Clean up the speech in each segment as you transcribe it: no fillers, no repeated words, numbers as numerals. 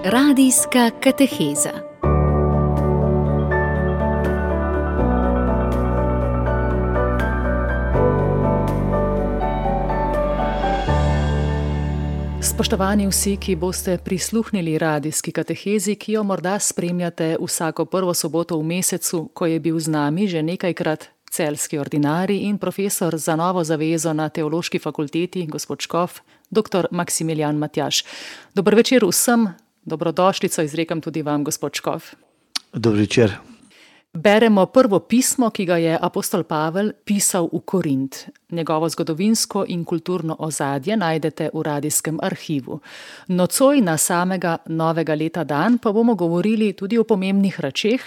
Radijska kateheza. Spoštovani vsi, ki boste prisluhnili radijski katehezi, ki jo morda spremljate vsako prvo soboto v mesecu, ko je bil z nami že nekajkrat celjski ordinarij in profesor za Novo zavezo na Teološki fakulteti, gospod škof, dr. Maksimilijan Matjaž. Dober večer vsem, dobrodošlico izrekam tudi vam, gospod škof. Dober večer. Beremo prvo pismo, ki ga je apostol Pavel pisal v Korint. Njegovo zgodovinsko in kulturno ozadje najdete v radijskem arhivu. Nocoj na samega novega leta dan pa bomo govorili tudi o pomembnih rečeh,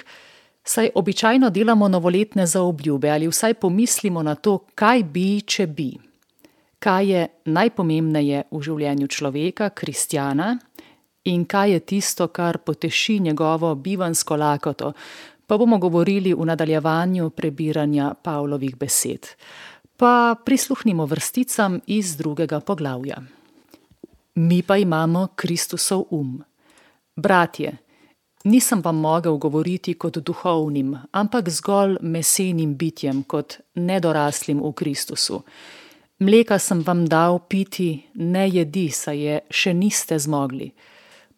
saj običajno delamo novoletne zaobljube ali vsaj pomislimo na to, kaj bi, če bi. Kaj je najpomembneje v življenju človeka, kristjana, in kaj je tisto, kar poteši njegovo bivanjsko lakoto, pa bomo govorili v nadaljevanju prebiranja Pavlovih besed. Pa prisluhnimo vrsticam iz 2. poglavja. Mi pa imamo Kristusov Bratje, nisem vam mogel govoriti kot duhovnim, ampak zgolj mesenim bitjem, kot nedoraslim v Kristusu. Mleka sem vam dal piti, ne jedi, saj je še niste zmogli.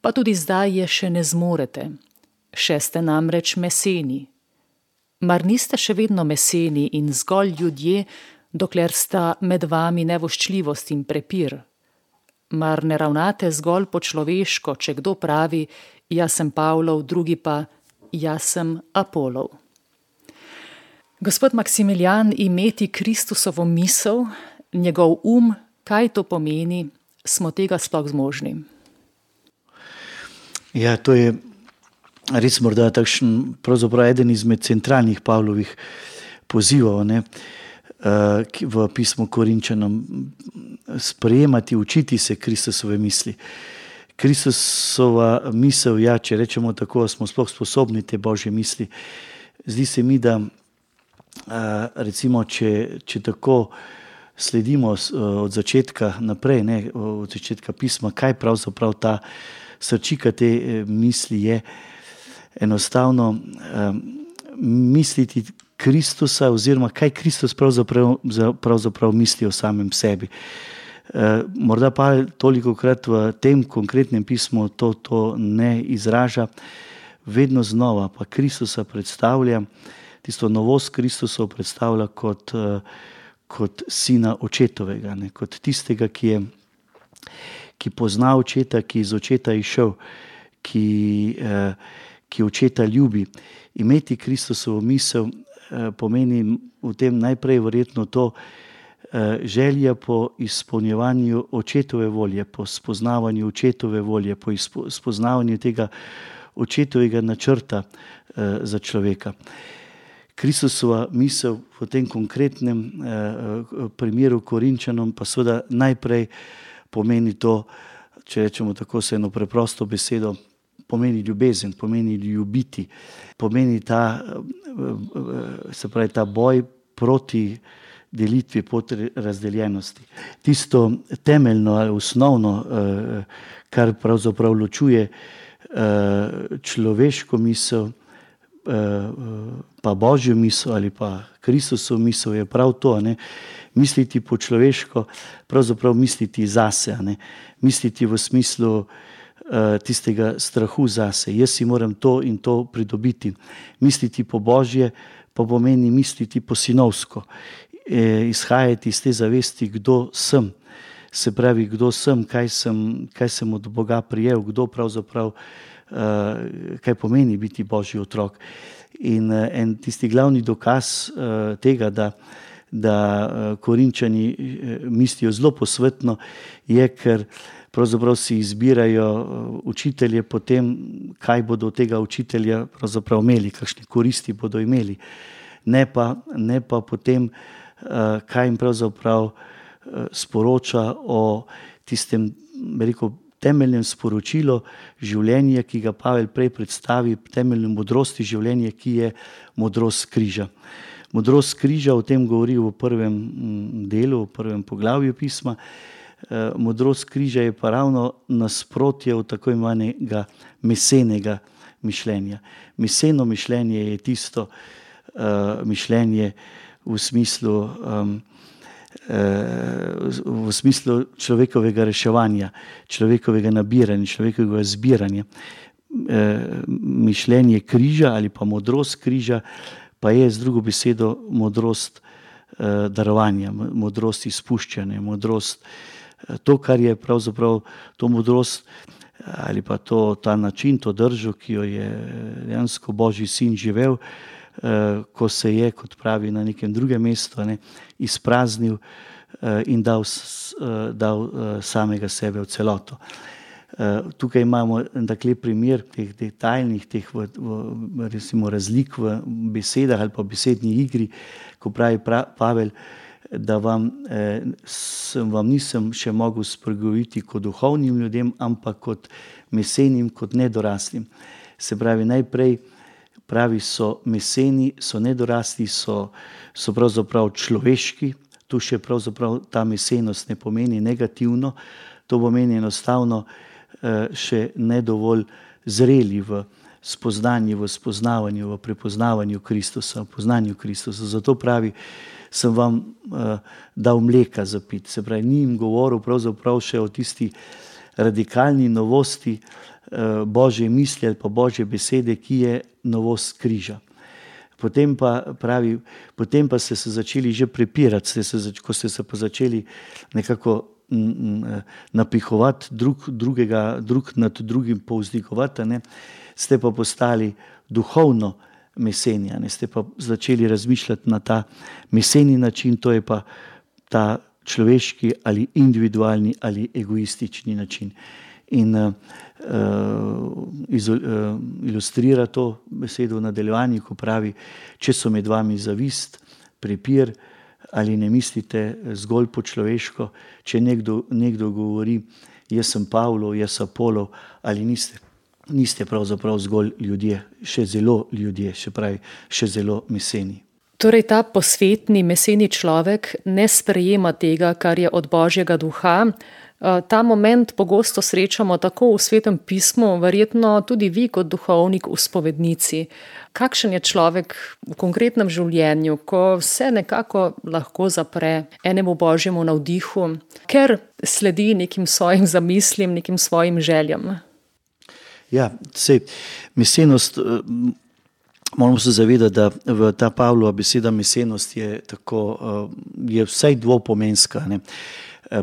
Pa tudi zdaj je še ne zmorete. Še ste namreč meseni. Mar niste še vedno meseni in zgolj ljudje, dokler sta med vami nevoščljivost in prepir? Mar ne ravnate zgolj po človeško, če kdo pravi, jaz sem Pavlov, drugi pa, jaz sem Apolov? Gospod Maksimilijan, imeti Kristusovo misel, njegov kaj to pomeni, smo tega sploh zmožni? Ja, to je res morda takšen, pravzaprav eden izmed centralnih Pavlovih pozivov, v pismu Korinčanom, sprejemati, učiti se Kristusove misli. Kristusova misel, če rečemo tako, smo sploh sposobni te Božje misli. Zdi se mi, da recimo, če tako sledimo od začetka naprej, od začetka pisma, kaj pravzaprav ta srčika te misli je, enostavno misliti Kristusa oziroma kaj Kristus pravzaprav misli o samem sebi. Morda pa tolikokrat v tem konkretnem pismu to ne izraža, vedno znova pa Kristusa predstavlja, tisto novost Kristusov predstavlja kot sina očetovega, kot tistega, ki pozna očeta, ki iz očeta išel, ki očeta ljubi. Imeti Kristusovo misel pomeni v tem najprej verjetno to želja po izpolnjevanju očetove volje, po spoznavanju očetove volje, po spoznavanju tega očetovega načrta za človeka. Kristusova misel v tem konkretnem primeru Korinčanom pa seveda najprej pomeni to, če rečemo tako se eno preprosto besedo, pomeni ljubezen, pomeni ljubiti, pomeni ta boj proti delitvi, proti razdeljenosti. Tisto temeljno ali osnovno, kar pravzaprav ločuje človeško misel, pa Božjo misel ali pa Kristusovo misel je prav to, misliti po človeško, pravzaprav misliti zase, misliti v smislu tistega strahu zase. Jaz si moram to in to pridobiti. Misliti po Božje pa pomeni misliti po sinovsko. Izhajati iz te zavesti, kdo sem. Se pravi, kdo sem, kaj sem od Boga prijel, kdo pravzaprav, kaj pomeni biti Božji otrok. In en tisti glavni dokaz tega, da Korinčani mislijo zelo posvetno, je, ker pravzaprav si izbirajo učitelje po tem, kaj bodo od tega učitelja pravzaprav imeli, kakšne koristi bodo imeli. Ne pa po tem, kaj jim pravzaprav sporoča o tistem, temeljnem sporočilu življenja, ki ga Pavel prej predstavi, temeljne modrosti življenja, ki je modrost križa. Modrost križa, o tem govori v prvem delu, v prvem poglavju pisma, Modrost križa je pa ravno nasprotje od tako imenovanega mesenega mišljenja. Meseno mišljenje je tisto mišljenje v smislu človekovega reševanja, človekovega nabiranja, človekovega zbiranja. Mišljenje križa ali pa modrost križa pa je z drugo besedo modrost darovanja, modrost izpuščanja, modrost, to, kar je pravzaprav to modrost ali pa ta način, to držo, ki jo je dejansko Božji sin živel, ko se je, kot pravi na nekem drugem mestu, izpraznil in dal samega sebe v celoto. Tukaj imamo takle primer teh detaljnih, teh recimo razlik v besedah ali pa besedni igri, ko pravi Pavel, da vam nisem še mogel spregovoriti kot duhovnim ljudem, ampak kot mesenim, kot nedoraslim. Se pravi, najprej pravi so meseni, so nedorasli, so pravzaprav človeški. Tu še pravzaprav ta mesenost ne pomeni negativno, to pomeni enostavno še ne dovolj zreli v spoznanju, v spoznavanju, v prepoznavanju Kristusa, v poznanju Kristusa. Zato pravi, sem vam dal mleka za piti. Se pravi, ni jim govoril pravzaprav še o tisti radikalni novosti Božje misli ali pa Božje besede, ki je novost križa. Potem pa ste se začeli že prepirati, ko ste se pa začeli nekako napihovati drug nad drugim povzdigovati, ste pa postali duhovno meseni, ste pa začeli razmišljati na ta meseni način, to je pa ta človeški ali individualni ali egoistični način. In ilustrira to besedo v nadaljevanju, ko pravi, če so med vami zavist, prepir, ali ne mislite zgolj po človeško, če nekdo govori, jaz sem Pavlov, jaz sem Apolov, ali niste pravzaprav zgolj ljudje, še zelo ljudje, še zelo meseni. Torej ta posvetni, meseni človek ne sprejema tega, kar je od Božjega duha. Ta moment pogosto srečamo tako v Svetem pismu, verjetno tudi vi kot duhovnik v spovednici. Kakšen je človek v konkretnem življenju, ko se nekako lahko zapre enemu Božjemu navdihu, ker sledi nekim svojim zamislim, nekim svojim željam? Ja, mesenost, moramo se zavedati, da v ta Pavlova beseda mesenost je vsaj dvopomenska,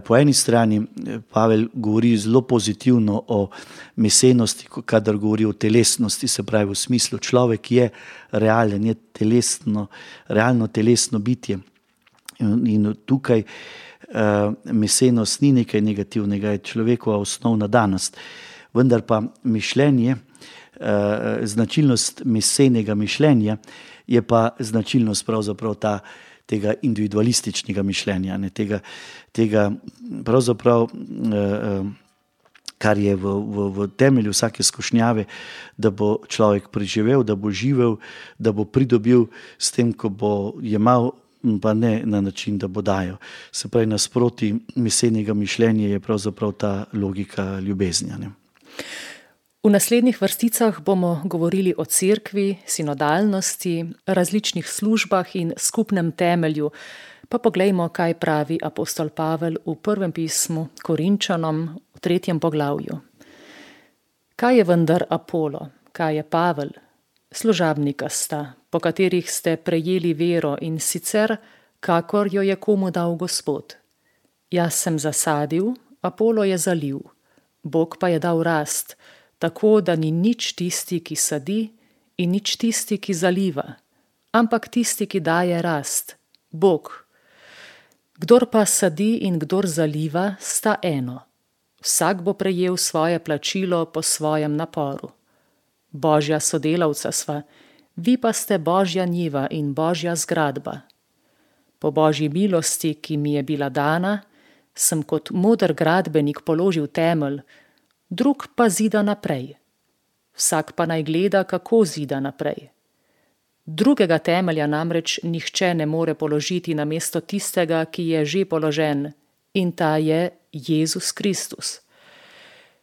Po eni strani Pavel govori zelo pozitivno o mesenosti, kadar govori o telesnosti, se pravi v smislu človek je realen, je realno telesno bitje. In tukaj mesenost ni nekaj negativnega, je človekova osnovna danost. Vendar pa mišljenje, značilnost mesenega mišljenja je pa značilnost pravzaprav tega individualističnega mišljenja, tega pravzaprav, kar je v temelju vsake skušnjave, da bo človek preživel, da bo živel, da bo pridobil s tem, ko bo jemal, pa ne na način, da bo dajal. Se pravi, nasproti mesenega mišljenja je pravzaprav ta logika ljubezni. V naslednjih vrsticah bomo govorili o cerkvi, sinodalnosti, različnih službah in skupnem temelju. Pa poglejmo, kaj pravi apostol Pavel v prvem pismu Korinčanom v 3. poglavju. Kaj je vendar Apolo, kaj je Pavel? Služabnika sta, po katerih ste prejeli vero in sicer, kakor jo je komu dal Gospod. Jaz sem zasadil, Apolo je zalil, Bog pa je dal rast, tako da ni nič tisti, ki sadi, in nič tisti, ki zaliva, ampak tisti, ki daje rast, Bog. Kdor pa sadi in kdor zaliva, sta eno. Vsak bo prejel svoje plačilo po svojem naporu. Božja sodelavca sva, vi pa ste Božja njiva in Božja zgradba. Po Božji milosti, ki mi je bila dana, sem kot moder gradbenik položil temelj, drug pa zida naprej. Vsak pa naj gleda, kako zida naprej. Drugega temelja namreč nihče ne more položiti namesto tistega, ki je že položen, in ta je Jezus Kristus.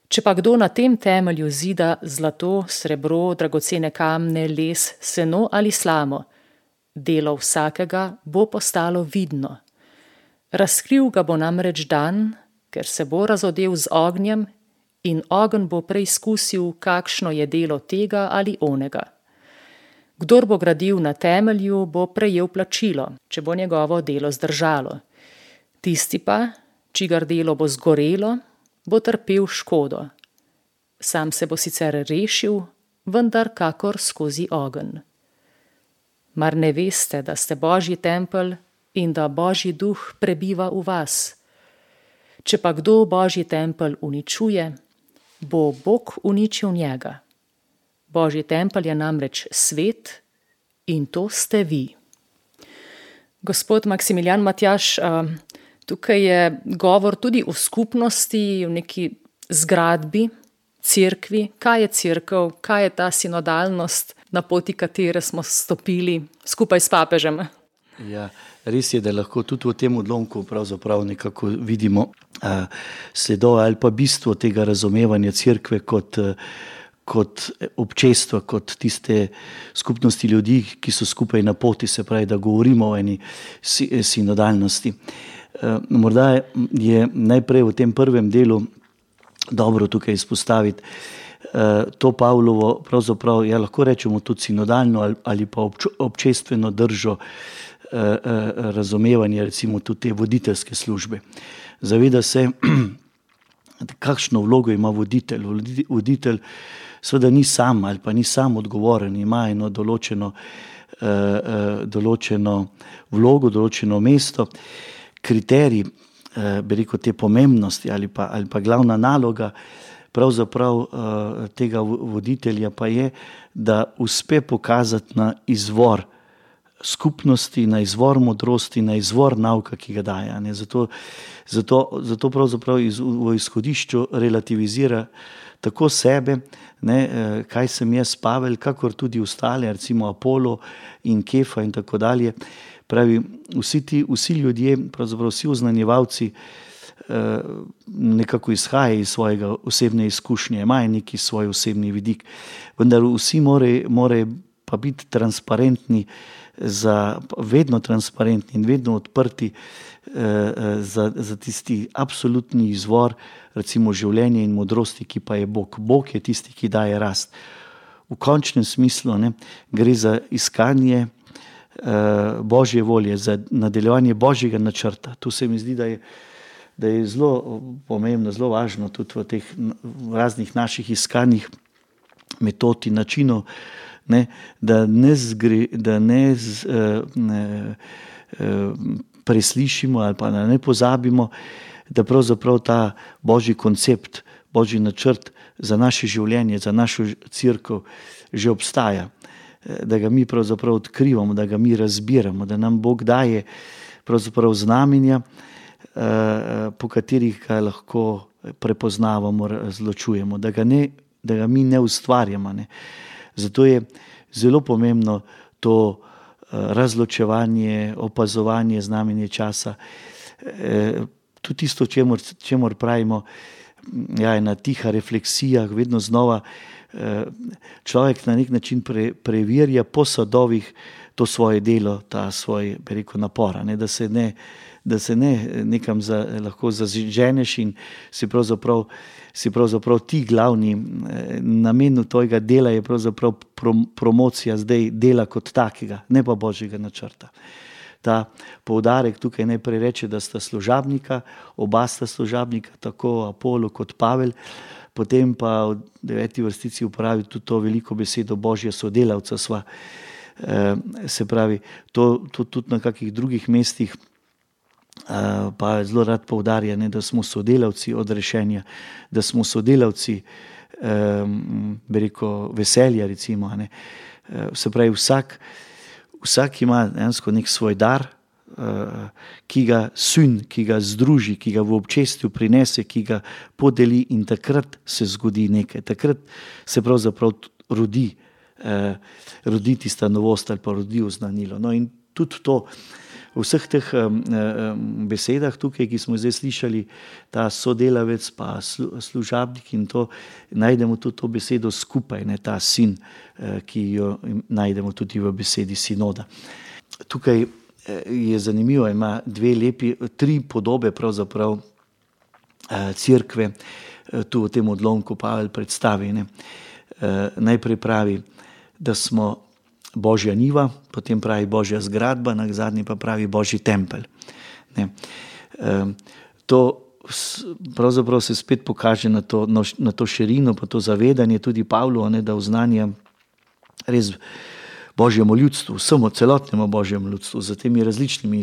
Če pa kdo na tem temelju zida zlato, srebro, dragocene kamne, les, seno ali slamo, delo vsakega bo postalo vidno. Razkril ga bo namreč dan, ker se bo razodel z ognjem in ogenj bo preizkusil, kakšno je delo tega ali onega. Kdor bo gradil na temelju, bo prejel plačilo, če bo njegovo delo zdržalo. Tisti pa, čigar delo bo zgorelo, bo trpel škodo. Sam se bo sicer rešil, vendar kakor skozi ogenj. Mar ne veste, da ste Božji tempelj in da Božji duh prebiva v vas? Če pa kdo Božji tempelj uničuje, bo Bog uničil njega. Božji tempelj je namreč svet in to ste vi. Gospod Maksimilijan Matjaž, tukaj je govor tudi o skupnosti, o neki zgradbi, cerkvi. Kaj je cerkev, kaj je ta sinodalnost, na poti katere smo stopili skupaj s papežem? Ja, res je, da lahko tudi v tem odlomku pravzaprav nekako vidimo sledove ali pa bistvo tega razumevanja cerkve kot občestva, kot tiste skupnosti ljudi, ki so skupaj na poti, se pravi, da govorimo o eni sinodalnosti. Morda je najprej v tem prvem delu dobro tukaj izpostaviti to Pavlovo, pravzaprav, ja, lahko rečemo tudi sinodalno ali pa občestveno držo razumevanja, recimo tudi te voditeljske službe. Zaveda se, kakšno vlogo ima voditelj. Voditelj seveda ni sam ali pa ni sam odgovoren, ima eno določeno vlogo, določeno mesto. Kriterij, bi rekel, te pomembnosti ali pa glavna naloga pravzaprav tega voditelja pa je, da uspe pokazati na izvor skupnosti, na izvor modrosti, na izvor nauka, ki ga daje. Zato pravzaprav v izhodišču relativizira tako sebe, kaj sem jaz, Pavel, kakor tudi ostale, recimo Apolo in Kefa in tako dalje. Pravi, vsi ljudje, pravzaprav vsi oznanjevalci nekako izhajajo iz svojega osebne izkušnje, imajo neki svoj osebni vidik, vendar vsi morajo pa biti transparentni, vedno transparentni in vedno odprti za tisti absolutni izvor, recimo življenja in modrosti, ki pa je Bog. Bog je tisti, ki daje rast. V končnem smislu gre za iskanje Božje volje, za nadaljevanje Božjega načrta. Tu se mi zdi, da je zelo pomembno, zelo važno tudi v teh raznih naših iskanjih metod in načinov, da ne preslišimo ali pa da ne pozabimo, da pravzaprav ta Božji koncept, Božji načrt za naše življenje, za našo cerkev že obstaja. Da ga mi pravzaprav odkrivamo, da ga mi razbiramo, da nam Bog daje pravzaprav znamenja, po katerih ga lahko prepoznavamo, razločujemo, da ga mi ne ustvarjamo. Zato je zelo pomembno to razločevanje, opazovanje, znamenje časa. Tudi tisto, čemur pravimo, ena tiha refleksija, vedno znova človek na nek način preverja po sadovih to svoje delo, ta svoj, bi rekel, napor, da se ne nekam lahko zaženeš in si pravzaprav ti glavni namen tvojega dela je pravzaprav promocija zdaj dela kot takega, ne pa Božjega načrta. Ta poudarek tukaj najprej reče, da sta služabnika, oba sta služabnika, tako Apolo kot Pavel, potem pa v 9. vrstici uporabi tudi to veliko besedo Božja sodelavca sva. Se pravi, to tudi na kakih drugih mestih pa zelo rad poudarja, da smo sodelavci odrešenja, da smo sodelavci, bi rekel, veselja, recimo. Se pravi, vsak ima dejansko nek svoj dar, ki ga združi, ki ga v občestvu prinese, ki ga podeli in takrat se zgodi nekaj. Takrat se pravzaprav rodi tista novost ali pa rodi oznanilo. No in tudi to v vseh teh besedah tukaj, ki smo zdaj slišali, ta sodelavec pa služabnik in to, najdemo tudi to besedo skupaj, ne, ta sin, ki jo najdemo tudi v besedi sinoda. Tukaj je zanimivo, ima tri podobe pravzaprav cerkve, tu v tem odlomku Pavel predstavi. Ne. Najprej pravi, da smo Božja njiva, potem pravi Božja zgradba, na zadnji pa pravi Božji tempelj. Ne. To pravzaprav se spet pokaže na to širino, pa to zavedanje tudi Pavlu, ne, da oznanja res Božjemu ljudstvu, vsemu celotnemu Božjemu ljudstvu, z temi različnimi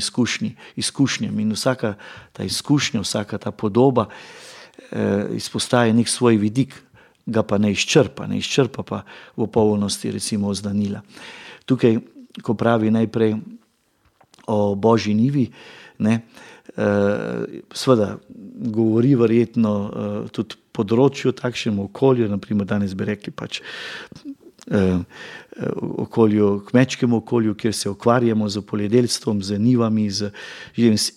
izkušnjami in vsaka ta izkušnja, vsaka ta podoba izpostaja nek svoj vidik, ga pa ne izčrpa pa v polnosti recimo oznanila. Tukaj, ko pravi najprej o Božji njivi, ne, seveda govori verjetno tudi področju, takšnemu okolju, naprimer danes bi rekli pač kmečkemu okolju, kjer se ukvarjamo z poljedelstvom, z njivami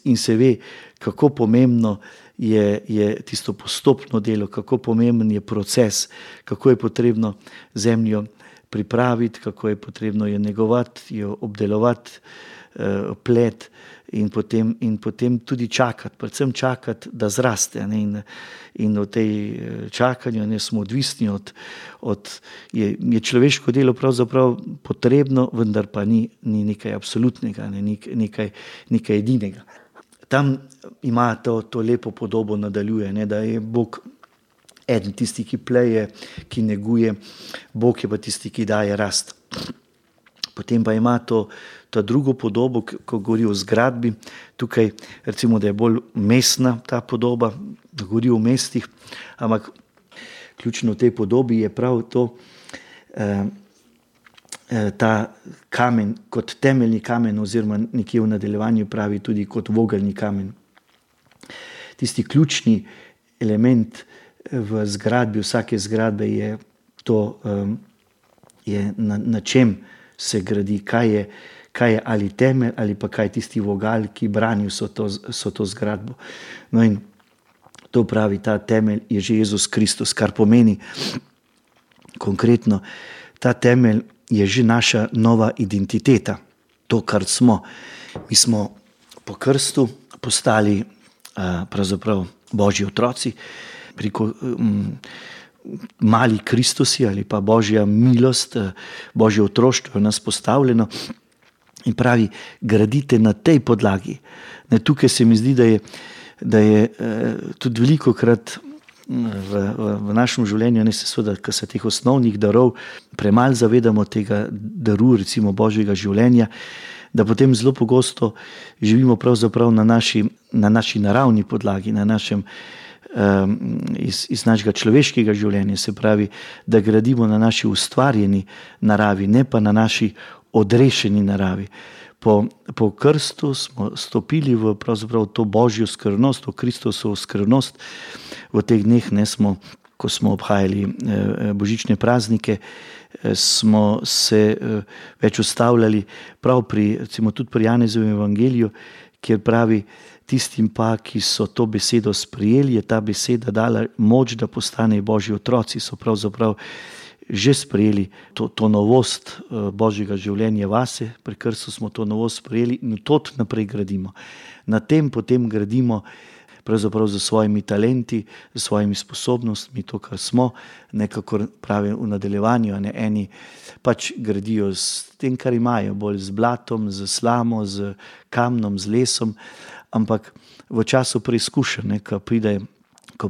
in se ve, kako pomembno je tisto postopno delo, kako pomemben je proces, kako je potrebno zemljo pripraviti, kako je potrebno jo negovati, jo obdelovati, plet in potem tudi čakati, predvsem čakati, da zraste. Ne? In v tej čakanju ne smo odvisni je človeško delo pravzaprav potrebno, vendar pa ni nekaj absolutnega, nekaj edinega. Tam ima to lepo podobo, nadaljuje, ne, da je Bog eden tisti, ki pleje, ki neguje, Bog je pa tisti, ki daje rast. Potem pa ima to drugo podobo, ko govori o zgradbi. Tukaj recimo, da je bolj mestna ta podoba, da govori o mestih, ampak ključno v tej podobi je prav to, ta kamen kot temeljni kamen oziroma nekje v nadaljevanju pravi tudi kot vogelni kamen. Tisti ključni element v zgradbi, vsake zgradbe je to, na čem se gradi, kaj je ali temelj ali pa kaj tisti vogal, ki brani so to zgradbo. No in to pravi, ta temelj je že Jezus Kristus, kar pomeni konkretno, ta temelj je že naša nova identiteta, to, kar smo. Mi smo po krstu postali pravzaprav Božji otroci, preko mali Kristusi ali pa Božja milost, Božje otroštvo je nas postavljeno in pravi, gradite na tej podlagi. Ne, tukaj se mi zdi, da je tudi velikokrat v našem življenju, ne se seveda, ko se teh osnovnih darov premalo zavedamo tega daru, recimo Božjega življenja, da potem zelo pogosto živimo pravzaprav na naši naravni podlagi, na našem iz našega človeškega življenja, se pravi, da gradimo na naši ustvarjeni naravi, ne pa na naši odrešeni naravi. Po krstu smo stopili v pravzaprav to Božjo skrivnost, v Kristusovo skrivnost. V teh dneh, ko smo obhajali božične praznike, smo se več ustavljali prav tudi pri Janezovem evangeliju, kjer pravi, tistim pa, ki so to besedo sprejeli, je ta beseda dala moč, da postanejo Božji otroci, so pravzaprav že sprejeli to novost Božjega življenja vase, pri krstu smo to novost sprejeli in to naprej gradimo. Na tem potem gradimo pravzaprav z svojimi talenti, z svojimi sposobnostmi, to, kar smo, nekako pravi v nadaljevanju, ne, eni pač gradijo s tem, kar imajo, bolj z blatom, z slamo, z kamnom, z lesom, ampak v času preizkušenj, ko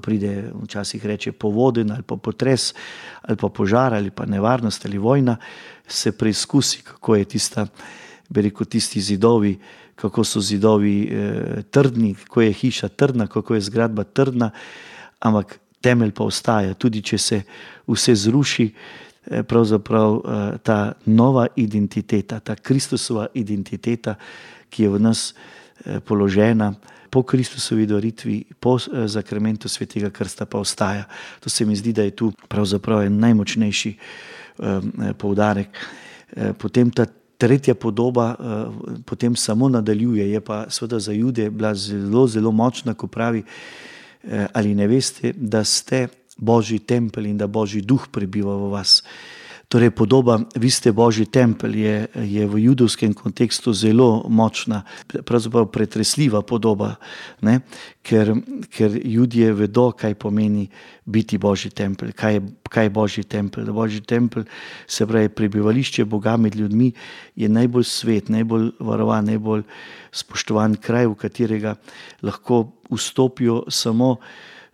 pride, včasih reče povodenj ali pa potres ali pa požar ali pa nevarnost ali vojna, se preizkusi, kako je tisti zidovi, kako so zidovi trdni, kako je hiša trdna, kako je zgradba trdna, ampak temelj pa ostaja. Tudi če se vse zruši, pravzaprav ta nova identiteta, ta Kristusova identiteta, ki je v nas položena po Kristusovi daritvi, po zakramentu svetega krsta pa ostaja. To se mi zdi, da je tu pravzaprav en najmočnejši poudarek. Potem tretja podoba potem samo nadaljuje, je pa seveda za Jude bila zelo, zelo močna, ko pravi, ali ne veste, da ste Božji tempelj in da Božji duh prebiva v vas. Torej podoba, vi ste Božji tempelj, je v judovskem kontekstu zelo močna, pravzaprav pretresljiva podoba, ne? Ker Judje vedo, kaj pomeni biti Božji tempelj, kaj je Božji tempelj. Božji tempelj, se pravi prebivališče Boga med ljudmi, je najbolj svet, najbolj varovan, najbolj spoštovan kraj, v katerega lahko vstopijo samo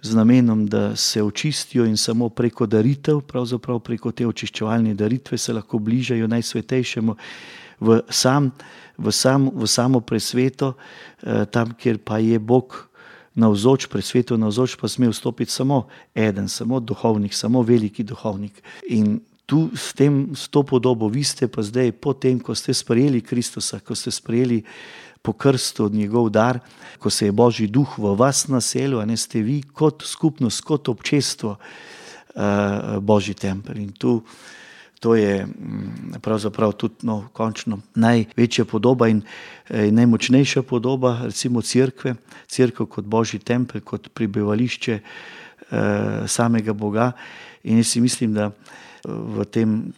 z namenom, da se očistijo in samo preko daritev, pravzaprav preko te očiščevalne daritve se lahko bližajo najsvetejšemu v samo presveto, tam, kjer pa je Bog navzoč, presveto navzoč, pa sme vstopiti samo eden, samo duhovnik, samo veliki duhovnik. In tu s to podobo vi ste pa zdaj, potem, ko ste sprejeli Kristusa, ko ste sprejeli po krstu njegov dar, ko se je Božji duh v vas naselil, a ne, ste vi kot skupnost, kot občestvo Božji tempelj. In to je pravzaprav tudi končno največja podoba in najmočnejša podoba, recimo cerkev kot Božji tempelj, kot prebivališče samega Boga. In jaz si mislim, da v tem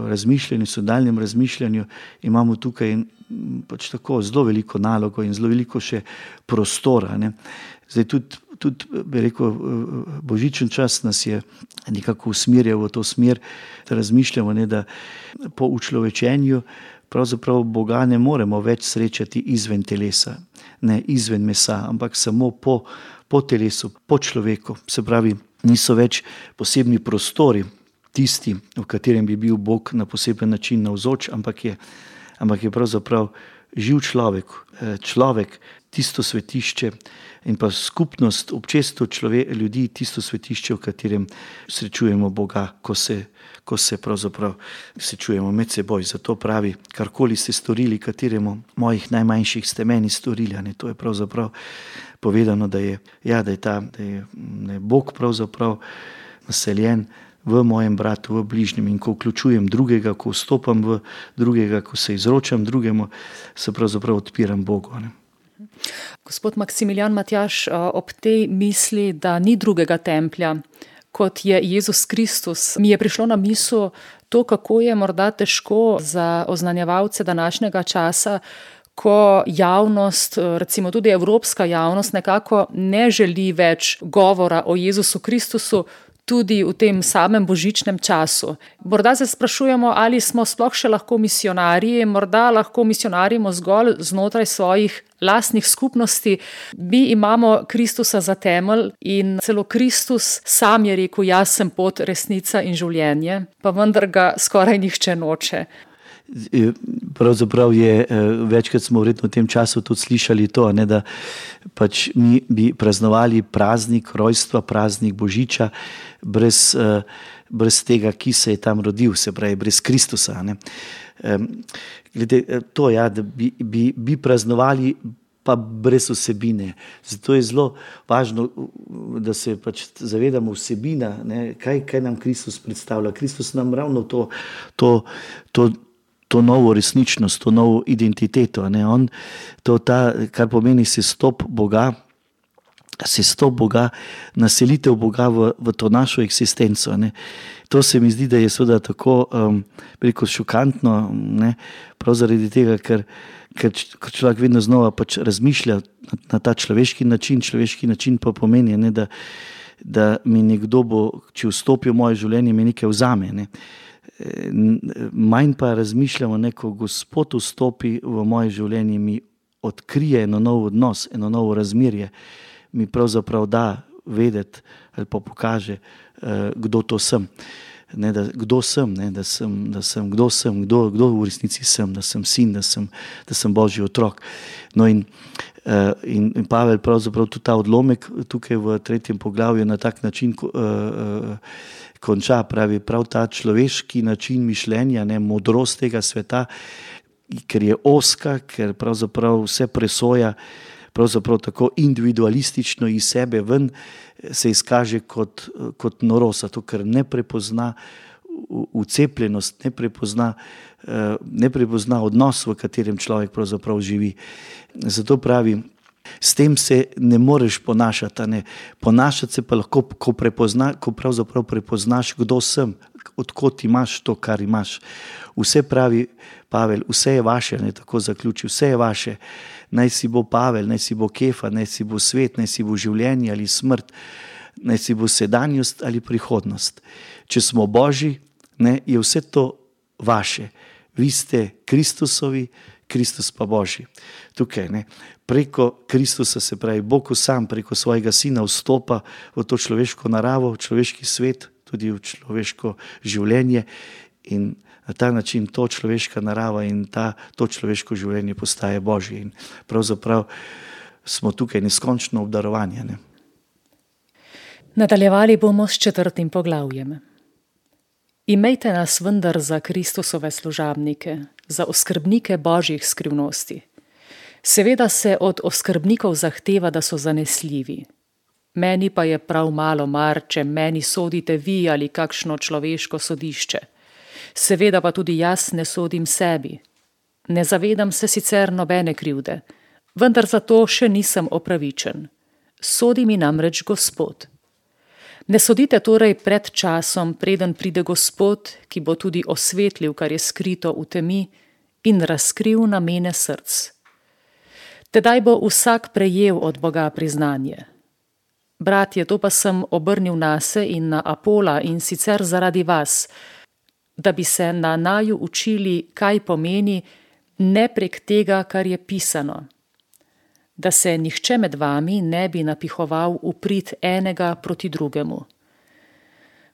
razmišljanju, sodalnem razmišljanju imamo tukaj pač tako zelo veliko nalogo in zelo veliko še prostora, ne. Zdaj tudi božičen čas nas je nekako usmerjal v to smer, da razmišljamo, ne, da po učlovečenju pravzaprav Boga ne moremo več srečati izven telesa, ne izven mesa, ampak samo po telesu, po človeku. Se pravi, niso več posebni prostori tisti, v katerem bi bil Bog na poseben način navzoč, ampak je pravzaprav živ človek, tisto svetišče in pa skupnost, občestvo ljudi, tisto svetišče, v katerem srečujemo Boga, ko se pravzaprav srečujemo med seboj. Zato pravi, karkoli ste storili, kateremu mojih najmanjših ste meni storili, ne, to je pravzaprav povedano, da je Bog pravzaprav naseljen v mojem bratu, v bližnjem, in ko vključujem drugega, ko vstopam v drugega, ko se izročam drugemu, se pravzaprav odpiram Bogu, ne. Gospod Maksimilijan Matjaž, ob tej misli, da ni drugega templja, kot je Jezus Kristus, mi je prišlo na misel to, kako je morda težko za oznanjevalce današnjega časa, ko javnost, recimo tudi evropska javnost, nekako ne želi več govora o Jezusu Kristusu, tudi v tem samem božičnem času. Morda se sprašujemo, ali smo sploh še lahko misionarji, morda lahko misionarimo zgolj znotraj svojih lastnih skupnosti. Mi imamo Kristusa za temelj in celo Kristus sam je rekel, jaz sem pot, resnica in življenje, pa vendar ga skoraj nihče noče. Pravzaprav je, večkrat smo verjetno v tem času tudi slišali to, ne, da pač mi bi praznovali praznik rojstva, praznik Božiča brez tega, ki se je tam rodil, se pravi brez Kristusa, ne. Glede to, ja, da bi praznovali pa brez vsebine. Zato je zelo važno, da se pač zavedamo vsebina, ne, kaj nam Kristus predstavlja. Kristus nam ravno to novo resničnost, to novo identiteto, ne, kar pomeni sestop Boga, naselitev Boga v to našo eksistenco, ne. To se mi zdi, da je seveda tako šokantno, ne, prav zaradi tega, ker človek vedno znova pač razmišlja na ta človeški način pa pomeni, ne, da mi nekdo bo, če vstopi v moje življenje, mi nekaj vzame, ne. Manj pa razmišljamo, ne, ko Gospod vstopi v moje življenje, mi odkrije eno nov odnos, eno novo razmerje, mi pravzaprav da vedeti ali pa pokaže, kdo to sem. Ne, kdo sem, ne, kdo v resnici sem, da sem sin, da sem Božji otrok. No in Pavel pravzaprav tudi ta odlomek tukaj v 3. poglavju na tak način konča, pravi prav ta človeški način mišljenja, ne, modrost tega sveta, ker je ozka, ker pravzaprav vse presoja, pravzaprav tako individualistično iz sebe ven se izkaže kot norost, zato ker ne prepozna ucepljenost, ne prepozna odnos, v katerem človek pravzaprav živi. Zato pravi, s tem se ne moreš ponašati, ne. Ponašati se pa lahko, ko pravzaprav prepoznaš, kdo sem, odkot imaš to, kar imaš. Vse, pravi Pavel, vse je vaše, ne, tako zaključi, vse je vaše. Naj si bo Pavel, naj si bo Kefa, naj si bo svet, naj si bo življenje ali smrt, naj si bo sedanjost ali prihodnost. Če smo Božji, ne, je vse to vaše. Vi ste Kristusovi, Kristus pa Božji. Tukaj, ne, preko Kristusa, se pravi, Bog sam preko svojega Sina vstopa v to človeško naravo, v človeški svet, tudi v človeško življenje, in na ta način to človeška narava in to človeško življenje postaje Božje. In pravzaprav smo tukaj neskončno obdarovani, ne. Nadaljevali bomo s 4. poglavjem. Imejte nas vendar za Kristusove služabnike, za oskrbnike Božjih skrivnosti. Seveda se od oskrbnikov zahteva, da so zanesljivi. Meni pa je prav malo mar, če meni sodite vi ali kakšno človeško sodišče. Seveda pa tudi jaz ne sodim sebi. Ne zavedam se sicer nobene krivde, vendar zato še nisem opravičen. Sodi mi namreč Gospod. Ne sodite torej pred časom, preden pride Gospod, ki bo tudi osvetlil, kar je skrito v temi, in razkril namene src. Tedaj bo vsak prejel od Boga priznanje. Bratje, to pa sem obrnil nase in na Apola, in sicer zaradi vas, da bi se na naju učili, kaj pomeni, ne prek tega, kar je pisano. Da se nihče med vami ne bi napihoval v prid enega proti drugemu.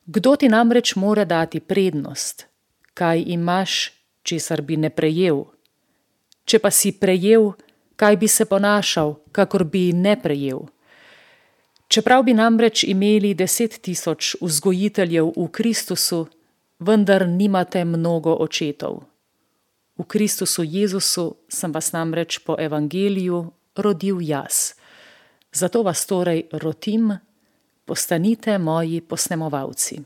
Kdo ti namreč more dati prednost? Kaj imaš, česar bi ne prejel? Če pa si prejel, kaj bi se ponašal, kakor bi ne prejel? Čeprav bi namreč imeli 10.000 vzgojiteljev v Kristusu, vendar nimate mnogo očetov. V Kristusu Jezusu sem vas namreč po evangeliju rodil jaz. Zato vas torej rotim, postanite moji posnemovalci.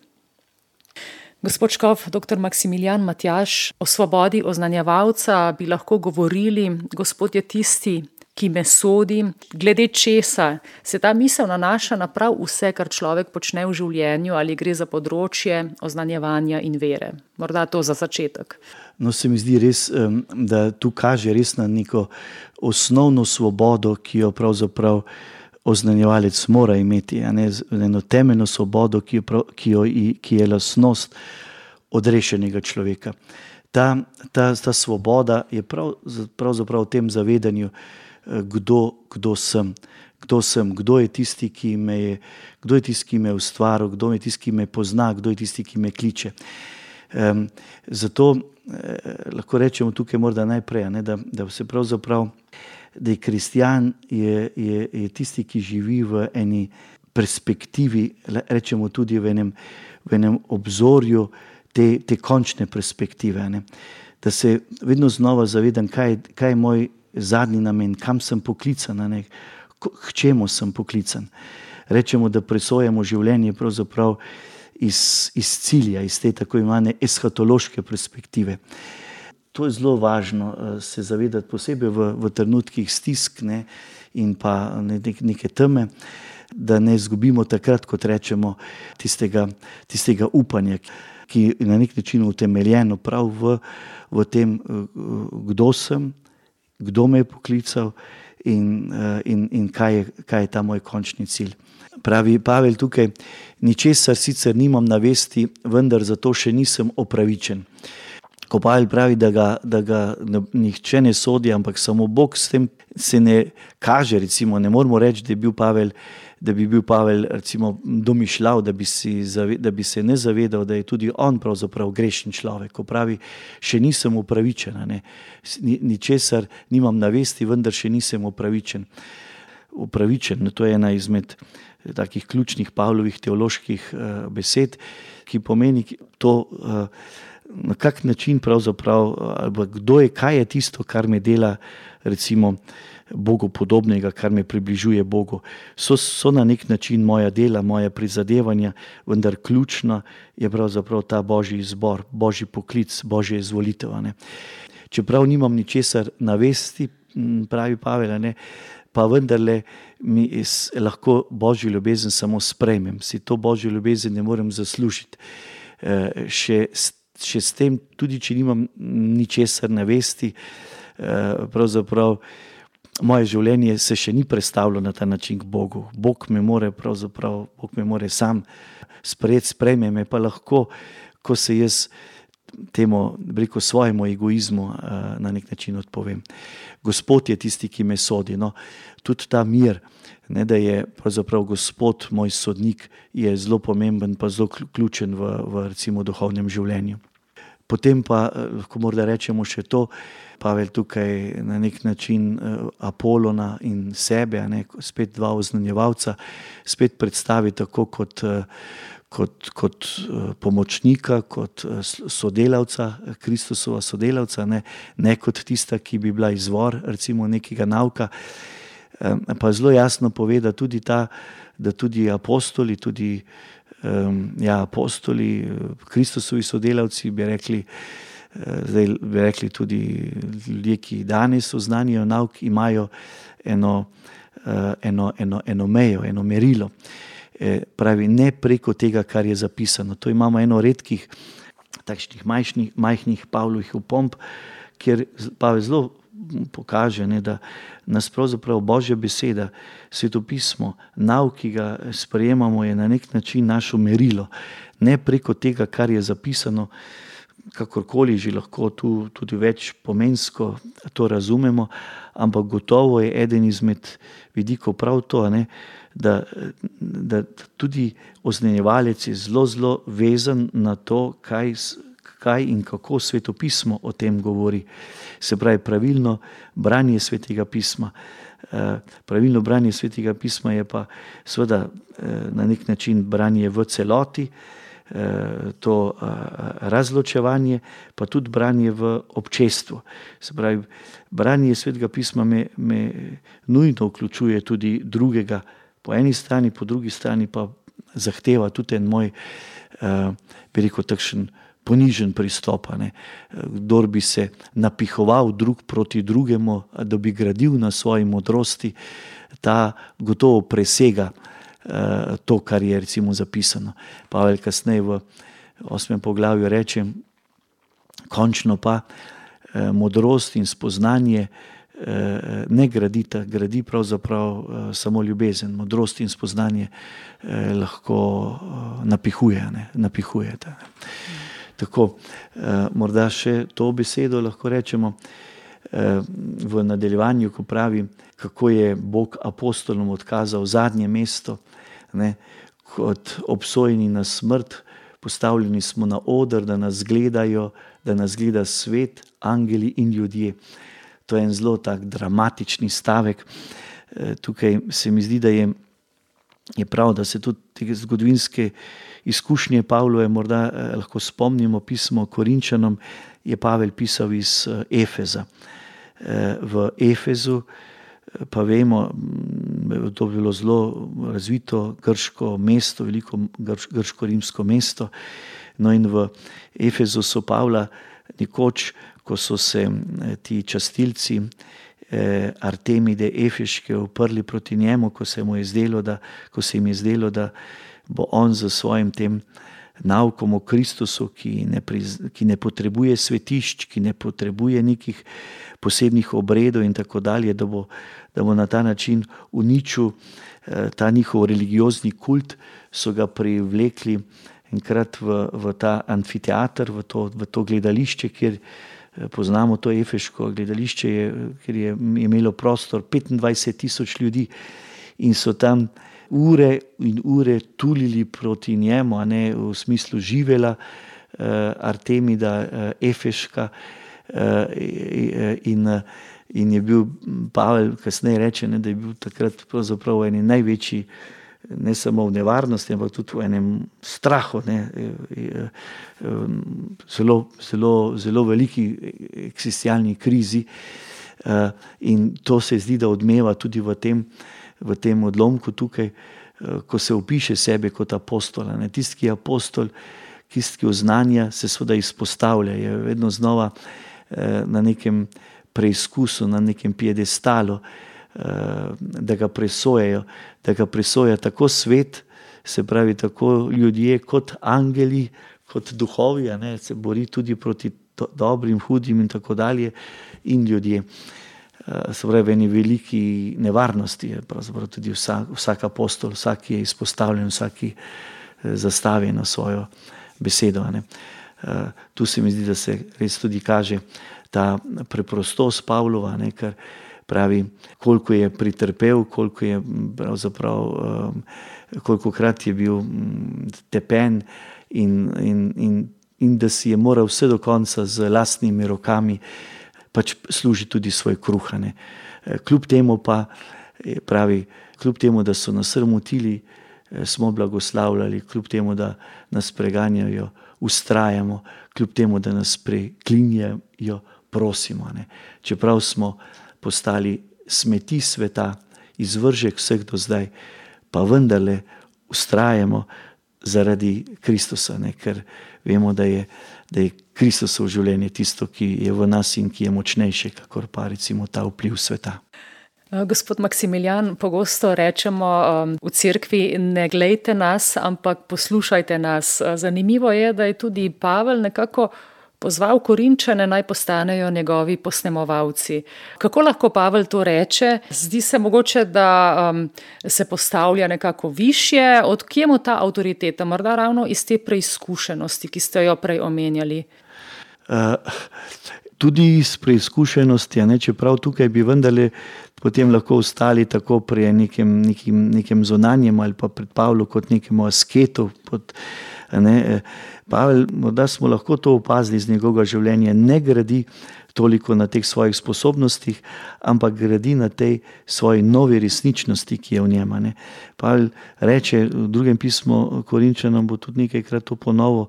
Gospod škof, dr. Maksimilijan Matjaž, o svobodi oznanjevalca bi lahko govorili, Gospod je tisti, ki me sodi, glede česa se ta misel nanaša na prav vse, kar človek počne v življenju, ali gre za področje oznanjevanja in vere. Morda to za začetek. No, se mi zdi res, da tu kaže res na neko osnovno svobodo, ki jo pravzaprav oznanjevalec mora imeti, a ne, eno temeljno svobodo, ki je lastnost odrešenega človeka. Ta svoboda je pravzaprav v tem zavedanju, kdo sem, kdo je tisti, ki me je ustvaril, kdo je tisti, ki me pozna, kdo je tisti, ki me kliče. Zato lahko rečemo tukaj morda najprej, ne, da se pravzaprav, da je kristjan je tisti, ki živi v eni perspektivi, rečemo tudi v enem obzorju te končne perspektive, ne. Da se vedno znova zavedam, kaj je moj zadnji namen, kam sem poklican, ne, k čemu sem poklican. Rečemo, da presojamo življenje pravzaprav iz cilja, iz te tako imenovane eshatološke perspektive. To je zelo važno se zavedati, posebej v trenutkih stisk, ne, in pa neke teme, da ne izgubimo takrat, kot rečemo, tistega upanja, ki je na nek način utemeljeno prav v tem, kdo sem, kdo me je poklical in kaj je ta moj končni cilj. Pravi Pavel tukaj, ničesar sicer nimam na vesti, vendar zato še nisem opravičen. Ko Pavel pravi, da ga nihče ne sodi, ampak samo Bog, s tem se ne kaže, recimo, ne moramo reči, da bi bil Pavel recimo domišljal, da bi se ne zavedal, da je tudi on pravzaprav grešen človek. Ko pravi, še nisem opravičen, ne, ničesar nimam na vesti, vendar še nisem opravičen. Opravičen, to je ena izmed takih ključnih Pavlovih teoloških besed, ki pomeni to, na kak način pravzaprav, ali kaj je tisto, kar me dela recimo Bogu podobnega, kar me približuje Bogu. So na nek način moja dela, moja prizadevanja, vendar ključno je pravzaprav ta Božji izbor, Božji poklic, Božja izvolitev. Čeprav nimam ničesar na vesti, pravi Pavel, pa vendarle lahko Božjo ljubezen samo sprejmem. Si to Božjo ljubezen ne morem zaslužiti. Še s tem, tudi če nimam ničesar na vesti, pravzaprav moje življenje se še ni prestavilo na ta način k Bogu. Bog me more sam sprejeti, sprejme me pa lahko, ko se jaz temu, svojemu egoizmu na nek način odpovem. Gospod je tisti, ki me sodi. Tudi ta mir, da je pravzaprav Gospod moj sodnik, je zelo pomemben pa zelo ključen v recimo duhovnem življenju. Potem pa lahko morda rečemo še to, Pavel tukaj na nek način Apolona in sebe, spet dva oznanjevalca, spet predstavi tako kot pomočnika, kot sodelavca, Kristusova sodelavca, ne kot tista, ki bi bila izvor recimo nekega nauka. Pa zelo jasno pove, da tudi apostoli, Kristusovi sodelavci, bi rekli tudi ljudje, ki danes oznanijo nauk, imajo eno mejo, eno merilo. Pravi, ne preko tega, kar je zapisano. To imamo eno redkih takšnih majhnih Pavlovih opomb, kjer Pavel zelo pokaže, da nas pravzaprav Božja beseda, svetopismo, nauk, ki ga sprejemamo, je na nek način naše merilo. Ne preko tega, kar je zapisano, kakorkoli že lahko tu tudi več pomensko to razumemo, ampak gotovo je eden izmed vidikov prav to, da tudi oznanjevalec je zelo vezan na to, kaj in kako svetopismo o tem govori. Se pravi, pravilno branje svetega pisma. Pravilno branje svetega pisma je pa seveda na nek način branje v celoti, to razločevanje, pa tudi branje v občestvu. Se pravi, branje svetega pisma me nujno vključuje tudi drugega po eni strani, po drugi strani pa zahteva tudi en moj, takšen ponižen pristop. Kdor bi se napihoval drug proti drugemu, da bi gradil na svoji modrosti, ta gotovo presega to, kar je recimo zapisano. Pavel kasneje v 8. poglavju reče, končno pa modrost in spoznanje ne gradita, gradi pravzaprav samo ljubezen. Modrost in spoznanje lahko napihujete. Tako, morda še to besedo lahko rečemo v nadaljevanju, ko pravi, kako je Bog apostolom odkazal zadnje mesto, kot obsojeni na smrt, postavljeni smo na oder, da nas gledajo, da nas gleda svet, angeli in ljudje. To je en zelo tak dramatični stavek. Tukaj se mi zdi, da je prav, da se tudi te zgodovinske izkušnje Pavlove morda lahko spomnimo. Pismo Korinčanom je Pavel pisal iz Efeza. V Efezu pa vemo, to je bilo zelo razvito grško mesto, veliko grško-rimsko mesto. No in v Efezu so Pavla nekoč, ko so se ti častilci Artemide Efeške uprli proti njemu, ko se jim je zdelo, da bo on za svojim tem naukom o Kristusu, ki ne potrebuje svetišč, ki ne potrebuje nekih posebnih obredov in tako dalje, da bo na ta način uničil ta njihov religiozni kult, so ga privlekli enkrat v ta amfiteater, v to gledališče, kjer poznamo to efeško gledališče, kjer je imelo prostor 25,000 ljudi in so tam ure in ure tulili proti njemu, v smislu živela Artemida Efeška, in je bil Pavel, kasneje reče, da je bil takrat pravzaprav v eni največji, ne samo v nevarnosti, ampak tudi v enem strahu, zelo veliki eksistencialni krizi, In to se zdi, da odmeva tudi v tem odlomku tukaj, ko se opiše sebe kot apostola. Tisti, ki je apostol, tisti, ki oznanja, se seveda izpostavlja, je vedno znova na nekem preizkusu, na nekem piedestalu, da ga presoja tako svet, se pravi tako ljudje kot angeli, kot duhovi, se bori tudi proti dobrim, hudim in tako dalje, in ljudje. Se pravi, v eni veliki nevarnosti je pravzaprav tudi vsak apostol, vsak je izpostavljen, vsak zastavi na svojo besedo. Tu se mi zdi, da se res tudi kaže ta preprostost Pavlova, ker pravi, koliko je pretrpel, koliko je pravzaprav, kolikokrat je bil tepen in da si je moral vse do konca z lastnimi rokami pač služi tudi svoj kruh. Kljub temu pa pravi, kljub temu, da so nas sramotili, smo blagoslavljali, kljub temu, da nas preganjajo, vztrajamo, kljub temu, da nas preklinjajo, prosimo. Čeprav smo postali smeti sveta, izvržek vseh do zdaj, pa vendarle vztrajamo zaradi Kristusa, ker vemo, da je Kristusovo življenje tisto, ki je v nas in ki je močnejše, kakor pa recimo ta vpliv sveta. Gospod Maksimilijan, pogosto rečemo v cerkvi, ne glejte nas, ampak poslušajte nas. Zanimivo je, da je tudi Pavel nekako pozval Korinčane, naj postanejo njegovi posnemovalci. Kako lahko Pavel to reče? Zdi se mogoče, da se postavlja nekako višje. Od kje mu ta avtoriteta? Morda ravno iz te preizkušenosti, ki ste jo prej omenjali? Tudi iz preizkušenosti, čeprav tukaj bi vendarle potem lahko ostali tako pri nekem zunanjem ali pa pred Pavlu kot nekemu asketu. Pavel, morda smo lahko to opazili iz njegovega življenja, ne gradi toliko na teh svojih sposobnostih, ampak gradi na tej svoji novi resničnosti, ki je v njem. Pavel reče v drugem pismu Korinčanom, bo tudi nekajkrat to ponovil,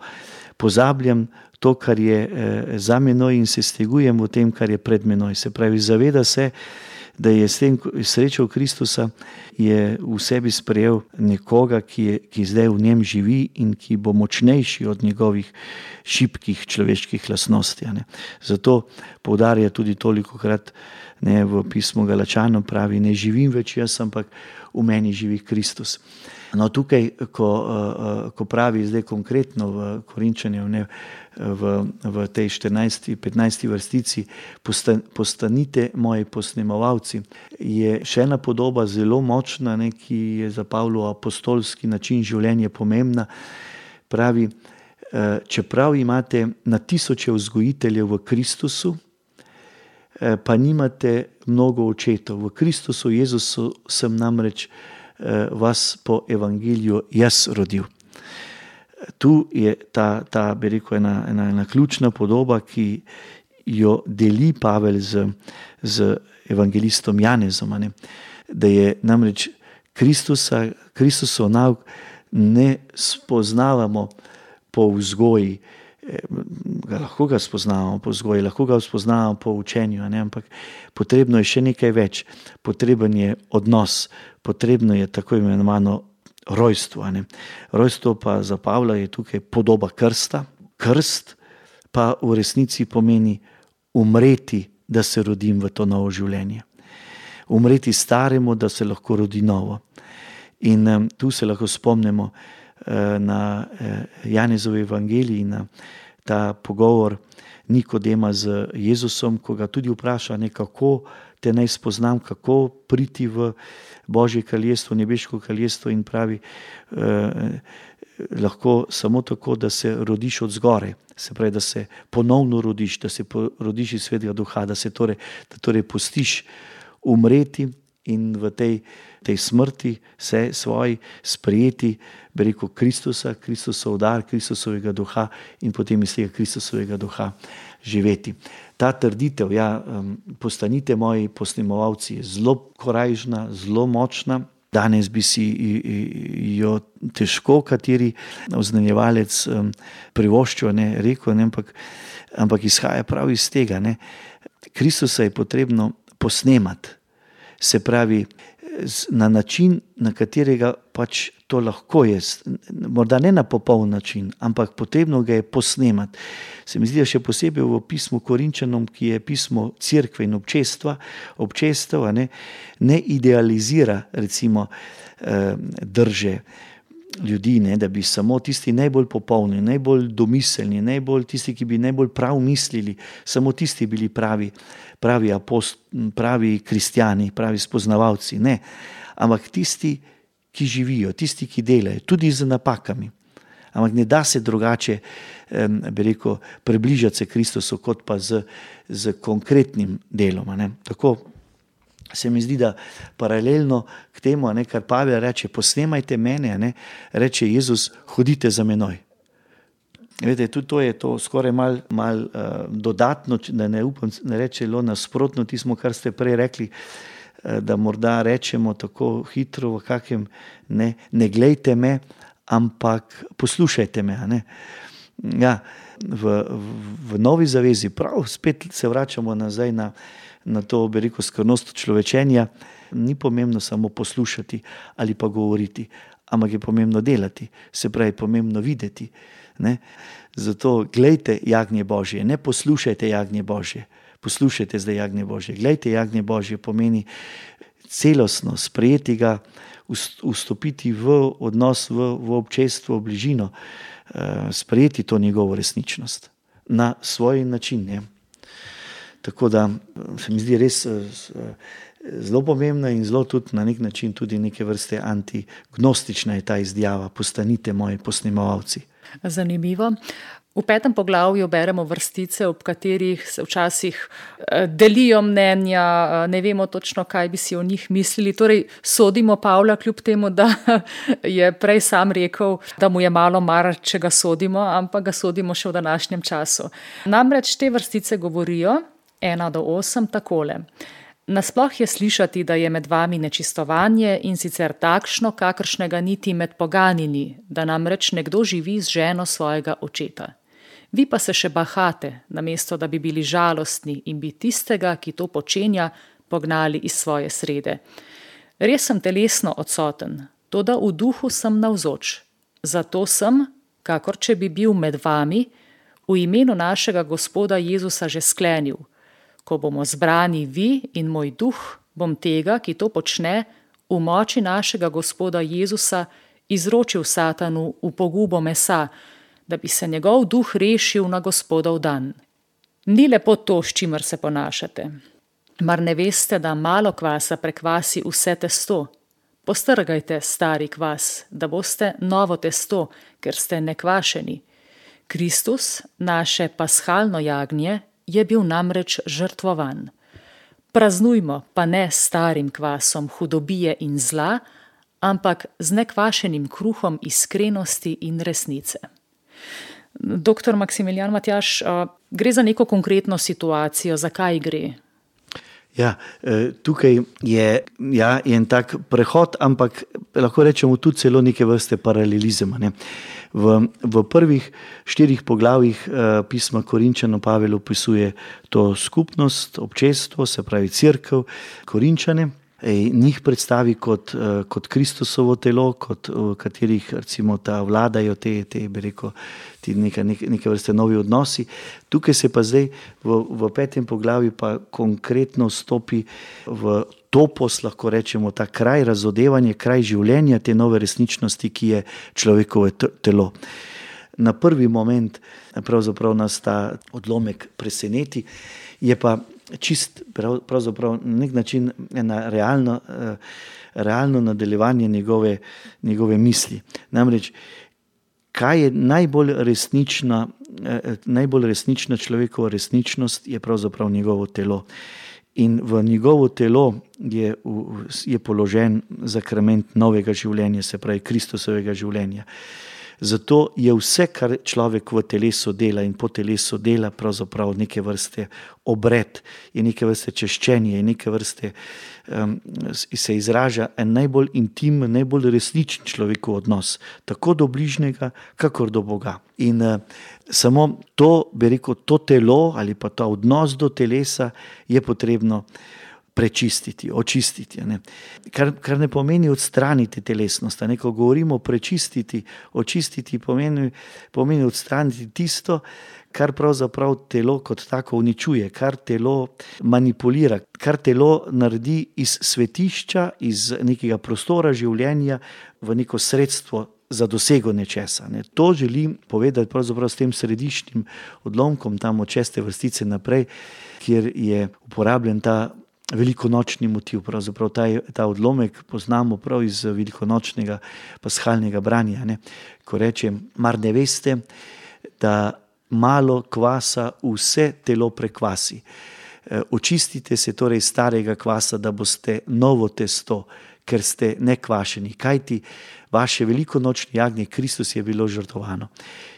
pozabljam to, kar je za menoj in se stegujem v tem, kar je pred menoj. Se pravi, zaveda se, da je s tem srečo Kristusa, je v sebi sprejel nekoga, ki zdaj v njem živi in ki bo močnejši od njegovih šibkih človeških lastnosti. Zato poudarja tudi tolikokrat v pismu Galačanom, pravi, ne živim več jaz, ampak v meni živi Kristus. No, tukaj, ko pravi zdaj konkretno v Korinčanju, v tej 14-15 vrstici, postanite moji posnemovalci, je še ena podoba zelo močna, ki je za Pavlov apostolski način življenja pomembna. Pravi, čeprav imate na tisoče vzgojiteljev v Kristusu, pa nimate mnogo očetov. V Kristusu Jezusu sem namreč vas po evangeliju jaz rodil. Tu je ta bi rekel, ena ključna podoba, ki jo deli Pavel z evangelistom Janezom. Da je namreč Kristusov nauk ne spoznavamo po vzgoji, lahko ga spoznavamo po vzgoji, lahko ga spoznavamo po učenju, ampak potrebno je še nekaj več. Potreben je odnos, potrebno je tako imenovano rojstvo. Rojstvo pa za Pavla je tukaj podoba krsta. Krst pa v resnici pomeni umreti, da se rodim v to novo življenje. Umreti staremu, da se lahko rodi novo. In tu se lahko spomnimo na Janezovi evangeliji, na ta pogovor Nikodema z Jezusom, ko ga tudi vpraša, kako te naj spoznam, kako priti v Božje kraljestvo, nebeško kraljestvo, in pravi, lahko samo tako, da se rodiš od zgoraj, se pravi, da se ponovno rodiš, da se rodiš iz Svetega Duha, da torej pustiš umreti in v tej smrti se svoji sprejeti, bi rekel, Kristusa, Kristusov dar, Kristusovega duha in potem iz tega Kristusovega duha živeti. Ta trditev, postanite moji posnemovalci, je zelo korajžna, zelo močna. Danes bi si jo težko kateri oznanjevalec privoščil, rekel, ampak izhaja prav iz tega. Kristusa je potrebno posnemati. Se pravi, na način, na katerega pač to lahko je, morda ne na popoln način, ampak potrebno ga je posnemati. Se mi zdi, da še posebej v pismu Korinčanom, ki je pismo cerkve in občestev, ne idealizira recimo drže ljudi, da bi samo tisti najbolj popolni, najbolj domiselni, tisti, ki bi najbolj prav mislili, samo tisti bili pravi pravi kristjani, pravi spoznavalci. Ne, ampak tisti, ki živijo, tisti, ki delajo, tudi z napakami. Ampak ne da se drugače, bi rekel, približati se Kristusu, kot pa z konkretnim delom. Tako se mi zdi, da paralelno k temu, kar Pavel reče, posnemajte mene, reče Jezus, hodite za menoj. Veste, tudi to je to skoraj mal dodatno, da ne upam, ne rečelo nasprotno tismo, kar ste prej rekli, da morda rečemo tako hitro v kakem, ne glejte me, ampak poslušajte me. Ja, v Novi zavezi, prav spet se vračamo nazaj na to, bi rekel, skromnost človečenja, ni pomembno samo poslušati ali pa govoriti, ampak je pomembno delati, se pravi, pomembno videti. Zato glejte jagnje Božje, ne poslušajte jagnje Božje, poslušajte zdaj jagnje Božje. Glejte jagnje Božje pomeni celostno sprejeti ga, vstopiti v odnos, v občestvo, v bližino, sprejeti to njegovo resničnost na svoj način. Tako da se mi zdi res zelo pomembna in zelo tudi na nek način tudi neke vrste antignostična je ta izjava, postanite moji posnemovalci. Zanimivo. V 5. poglavju beremo vrstice, ob katerih se včasih delijo mnenja, ne vemo točno, kaj bi si o njih mislili. Torej, sodimo Pavla kljub temu, da je prej sam rekel, da mu je malo mar, če ga sodimo, ampak ga sodimo še v današnjem času. Namreč te vrstice govorijo 1-8 takole. Nasploh je slišati, da je med vami nečistovanje in sicer takšno, kakršnega niti med poganini, da namreč nekdo živi z ženo svojega očeta. Vi pa se še bahate, namesto da bi bili žalostni in bi tistega, ki to počenja, pognali iz svoje srede. Res sem telesno odsoten, toda v duhu sem navzoč. Zato sem, kakor če bi bil med vami, v imenu našega Gospoda Jezusa že sklenil. Ko bomo zbrani vi in moj duh, bom tega, ki to počne, v moči našega Gospoda Jezusa izročil Satanu v pogubo mesa, da bi se njegov duh rešil na Gospodov dan. Ni lepo to, s čimer se ponašate. Mar ne veste, da malo kvasa prekvasi vse testo? Postrgajte stari kvas, da boste novo testo, ker ste nekvašeni. Kristus, naše paschalno jagnje, je bil namreč žrtvovan. Praznujmo pa ne starim kvasom hudobije in zla, ampak z nekvašenim kruhom iskrenosti in resnice. Doktor Maksimilijan Matjaž, gre za neko konkretno situacijo, zakaj gre? Ja, tukaj je en tak prehod, ampak lahko rečemo tudi celo neke vrste paralelizma. V prvih 4 poglavjih pisma Korinčanom Pavel opisuje to skupnost, občestvo, se pravi cerkev, Korinčane. Njih predstavi kot Kristusovo telo, kot v katerih recimo vladajo bi rekel, neke vrste novi odnosi. Tukaj se pa zdaj v 5. poglavju pa konkretno stopi v topos, lahko rečemo, ta kraj razodevanja, kraj življenja te nove resničnosti, ki je človekovo telo. Na prvi moment pravzaprav nas ta odlomek preseneti, je pa čist pravzaprav na nek način ena realno nadaljevanje njegove misli. Namreč, kaj je najbolj resnična človekova resničnost, je pravzaprav njegovo telo. In v njegovo telo je položen zakrament novega življenja, se pravi Kristusovega življenja. Zato je vse, kar človek v telesu dela in po telesu dela, pravzaprav neke vrste obred, je neke vrste češčenje, je neke vrste se izraža en najbolj intimen, najbolj resničen človekov odnos, tako do bližnjega, kakor do Boga. In samo to, bi rekel, to telo ali pa ta odnos do telesa je potrebno prečistiti, očistiti. Ne. Kar ne pomeni odstraniti telesnost. Ne. Ko govorimo prečistiti, očistiti, pomeni odstraniti tisto, kar pravzaprav telo kot tako uničuje, kar telo manipulira, kar telo naredi iz svetišča, iz nekega prostora življenja v neko sredstvo za dosego nečesa. Ne. To želim povedati pravzaprav s tem središčnim odlomkom, tam od 6. vrstice naprej, kjer je uporabljen ta velikonočni motiv. Pravzaprav ta odlomek poznamo prav iz velikonočnega pashalnega branja. Ne. Ko reče, mar ne veste, da malo kvasa vse telo prekvasi. Očistite se torej starega kvasa, da boste novo testo, ker ste nekvašeni. Kajti vaše velikonočni jagnje, Kristus je bilo žrtvovano.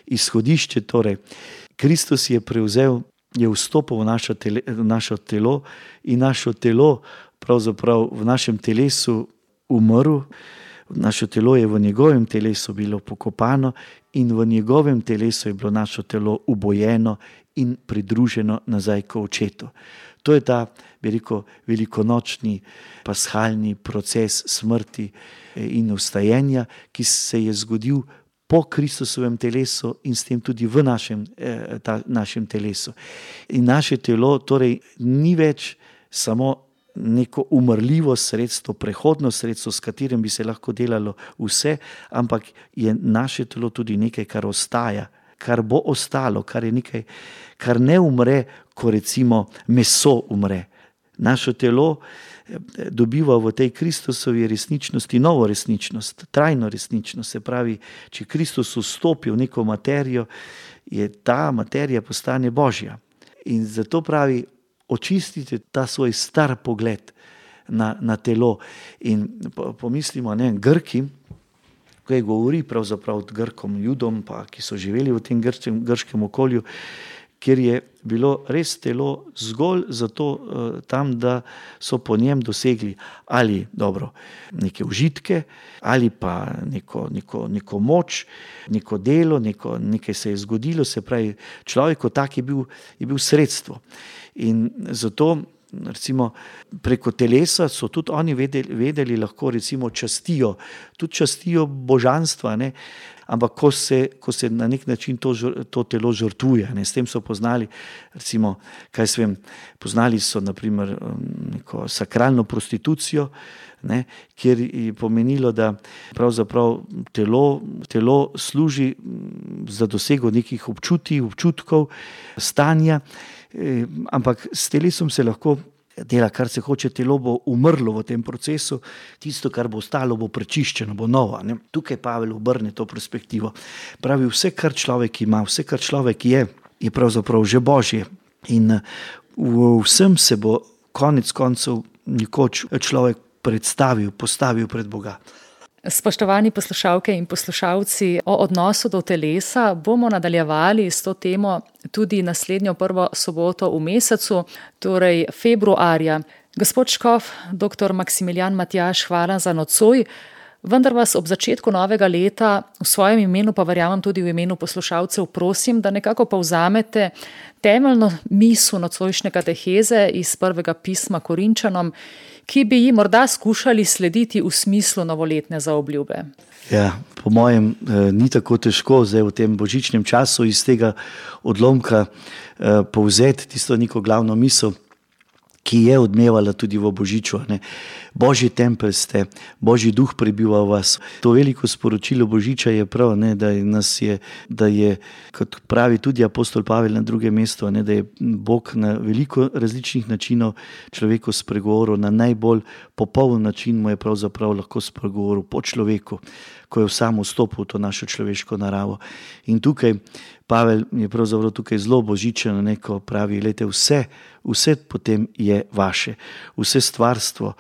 Izhodišče torej, Kristus je prevzel, je vstopil v naše telo in naše telo pravzaprav v našem telesu umrl. Naše telo je v njegovem telesu bilo pokopano in v njegovem telesu je bilo naše telo ubojeno in pridruženo nazaj k očetu. To je ta, bi rekel, velikonočni pashalni proces smrti in vstajenja, ki se je zgodil po Kristusovem telesu in s tem tudi v našem telesu. In naše telo torej ni več samo neko umrljivo sredstvo, prehodno sredstvo, s katerim bi se lahko delalo vse, ampak je naše telo tudi nekaj, kar ostaja, kar bo ostalo, kar je nekaj, kar ne umre, ko recimo meso umre. Naše telo dobiva v tej Kristusovi resničnosti novo resničnost, trajno resničnost. Se pravi, če Kristus vstopi v neko materijo, je ta materija postane Božja. In zato pravi, očistite ta svoj star pogled na telo. In pomislimo, Grki, ko je govori pravzaprav Grkom, Judom, pa, ki so živeli v tem grškem okolju, kjer je bilo res telo zgolj zato tam, da so po njem dosegli ali neke užitke, ali pa neko moč, neko delo, nekaj se je zgodilo, se pravi, človek kot tak je bil sredstvo. In zato recimo preko telesa so tudi oni vedeli lahko recimo častijo božanstva, ne? Ampak ko se na nek način to telo žrtvuje, ne? S tem so poznali, recimo, poznali so naprimer neko sakralno prostitucijo, ne? Kjer je pomenilo, da pravzaprav telo služi za dosego nekih občutkov, stanja, ampak s telesom se lahko dela, kar se hoče, telo bo umrlo v tem procesu, tisto, kar bo ostalo, bo prečiščeno, bo novo. Ne? Tukaj Pavel obrne to perspektivo. Pravi, vse, kar človek ima, vse, kar človek je pravzaprav že Božje. In v vsem se bo konec koncev nekoč človek postavil pred Boga. Spoštovani poslušalke in poslušalci, o odnosu do telesa bomo nadaljevali s to temo tudi naslednjo prvo soboto v mesecu, torej februarja. Gospod škof, dr. Maksimilijan Matjaž, hvala za nocoj, vendar vas ob začetku novega leta v svojem imenu, pa verjamem tudi v imenu poslušalcev, prosim, da nekako povzamete temeljno misel nocojšnje kateheze iz prvega pisma Korinčanom, ki bi ji morda skušali slediti v smislu novoletne zaobljube. Ja, po mojem ni tako težko zdaj v tem božičnem času iz tega odlomka povzeti tisto neko glavno misel, ki je odmevala tudi v Božiču. Ne? Božji tempelj ste, Božji duh prebiva v vas. To veliko sporočilo Božiča je prav, ne? Da je, kot pravi tudi apostol Pavel na drugem mestu, ne? Da je Bog na veliko različnih načinov človeku spregovoril, na najbolj popoln način mu je pravzaprav lahko spregovoril po človeku, ko je sam vstopil v to našo človeško naravo. In tukaj Pavel je pravzaprav tukaj zelo božičen, ko pravi, glejte, vse potem je vaše. Vse stvarstvo,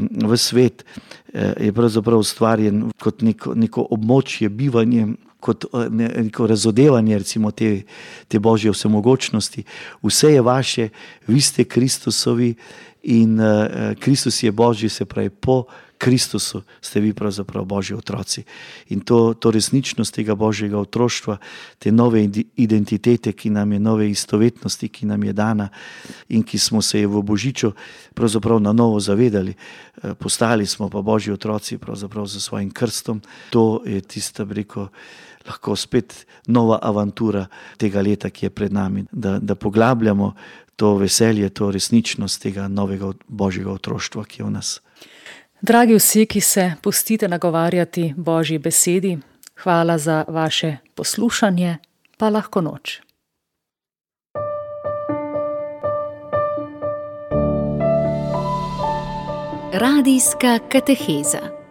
v svet je pravzaprav ustvarjen kot neko območje, bivanje, kot neko razodevanje recimo te Božje vsemogočnosti. Vse je vaše, vi ste Kristusovi in Kristus je Božji, se pravi po Kristusu ste vi pravzaprav Božji otroci. In to resničnost tega Božjega otroštva, te nove identitete, ki nam je, nove istovetnosti, ki nam je dana in ki smo se je v Božiču pravzaprav na novo zavedali. Postali smo pa Božji otroci pravzaprav za svojim krstom. To je tista, lahko spet nova avantura tega leta, ki je pred nami, da poglabljamo to veselje, to resničnost tega novega Božjega otroštva, ki je v nas. Dragi vsi, ki se pustite nagovarjati Božji besedi, hvala za vaše poslušanje, pa lahko noč. Radijska kateheza.